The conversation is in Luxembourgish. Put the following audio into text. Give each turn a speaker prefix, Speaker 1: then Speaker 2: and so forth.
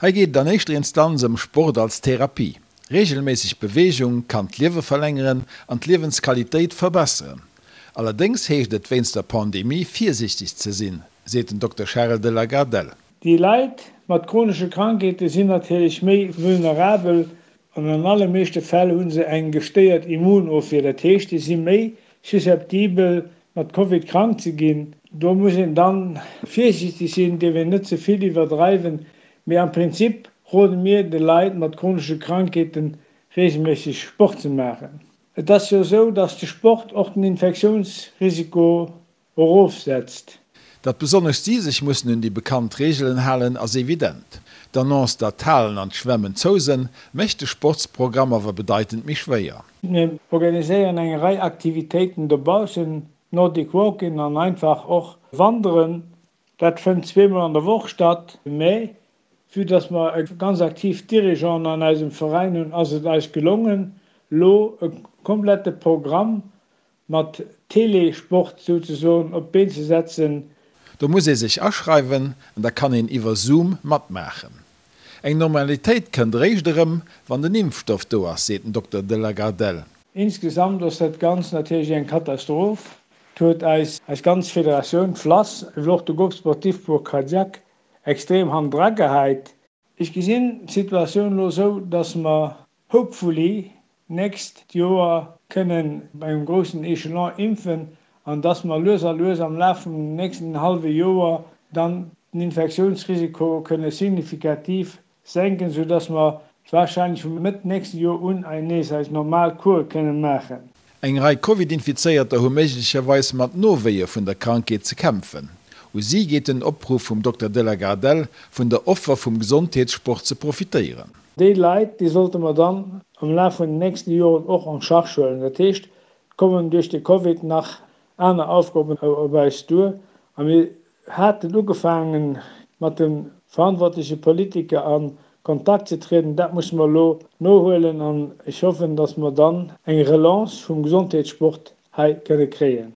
Speaker 1: Hei geet et an éischter Instanz ëm Sport als Therapie. Reegelméisseg Beweegung kann d'Liewe verlängeren an d'Liewensqualitéit verbesseren. Allerdéngs heescht et wéinst der Pandemie virsiichteg ze sinn, seet den Dokter Charel de la Gardelle.
Speaker 2: Déi Leit mat chronesche Krankheete sinn natierlech méi vulnerabel an an alle meeschte Fäll hu se eng gestéiert Immunofwier. Dat heescht, déi si méi susceptibel mat Covid krank ze ginn. Do muss een dann virsiichteg sinn, dierf een net ze vill iwwerdreiwen, mee am Prinzip rode mir de Leit mat chronesche Krankheeten reegelméisseg Sport ze maachen. Et ass jo esou, dass de Sport och den Infektiounsrisiko erofsetzt.
Speaker 1: Datt besonnesch si sech mussen un déi bekannt Reegelen halen, ass evident. D'Annonce, datt d'Halen an d'Schwämmen zou sënn, mécht de Sportsprogramm awer bedeitend méi schwéier.
Speaker 2: Mir organiséieren eng Rei Aktivitéiten dobaussen, Nordic Walking an einfach och Wanderen. Dat fënnt zweemol an der Woch statt. Mä vue dass mer e ganz aktiv Dirigeanten an eisem Veräin hunn, ass et eis gelongen, lo e komplette Programm mat Télé-Sport souzesoen op d'Been ze setzen.
Speaker 1: Do muss ee sech aschreiwen an da kann een iwwer Zoom matmaachen. Eng Normalitéit kënnt eréischt erëm, wann den Impfstoff do ass, seet den Dokter de la Gardelle.
Speaker 2: Insgesamt ass dat Ganzt natierlech eng Katastroph. Et huet eis eis ganz Federatioun, d'FLASS, ewéi och de Groupe sportif pour cardiaque extrem hannendra gehäit. Ech gesinn d'Situatioun elo esou, dass mer hopefully d'nächst Joer kënnen op engem groussen Echelon impfen an dass mer lues a lues am Laf vum nächsten hallwe Joer dann den Infektiounsrisiko kënne signifikativ senken, soudass mer wahrscheinlech vu Mëtt nächsten Joer un nees eis normal Course kënne maachen.
Speaker 1: Eng Rei Covid-Infizéierter hu méiglecherweis mat Nowéie vun der Krankheet ze kämpfen. U si geet den Opruff vum Dokter de la Gardelle, vun der Offer vum Gesondheetssport ze profitéieren.
Speaker 2: Déi Leit, déi sollte mer dann am Laf vun den nächste Joren och en charge huelen. Dat heescht, et kommen duerch de Covid nach aner Aufgaben op eis duer a mir haten ugefaangen, mat de verantwortleche Politiker a Kontakt ze trieden. Dat musse mer elo nohuelen an ech hoffen, dass mer dann eng Relance vum Gesondheetssport hei kënne kréien.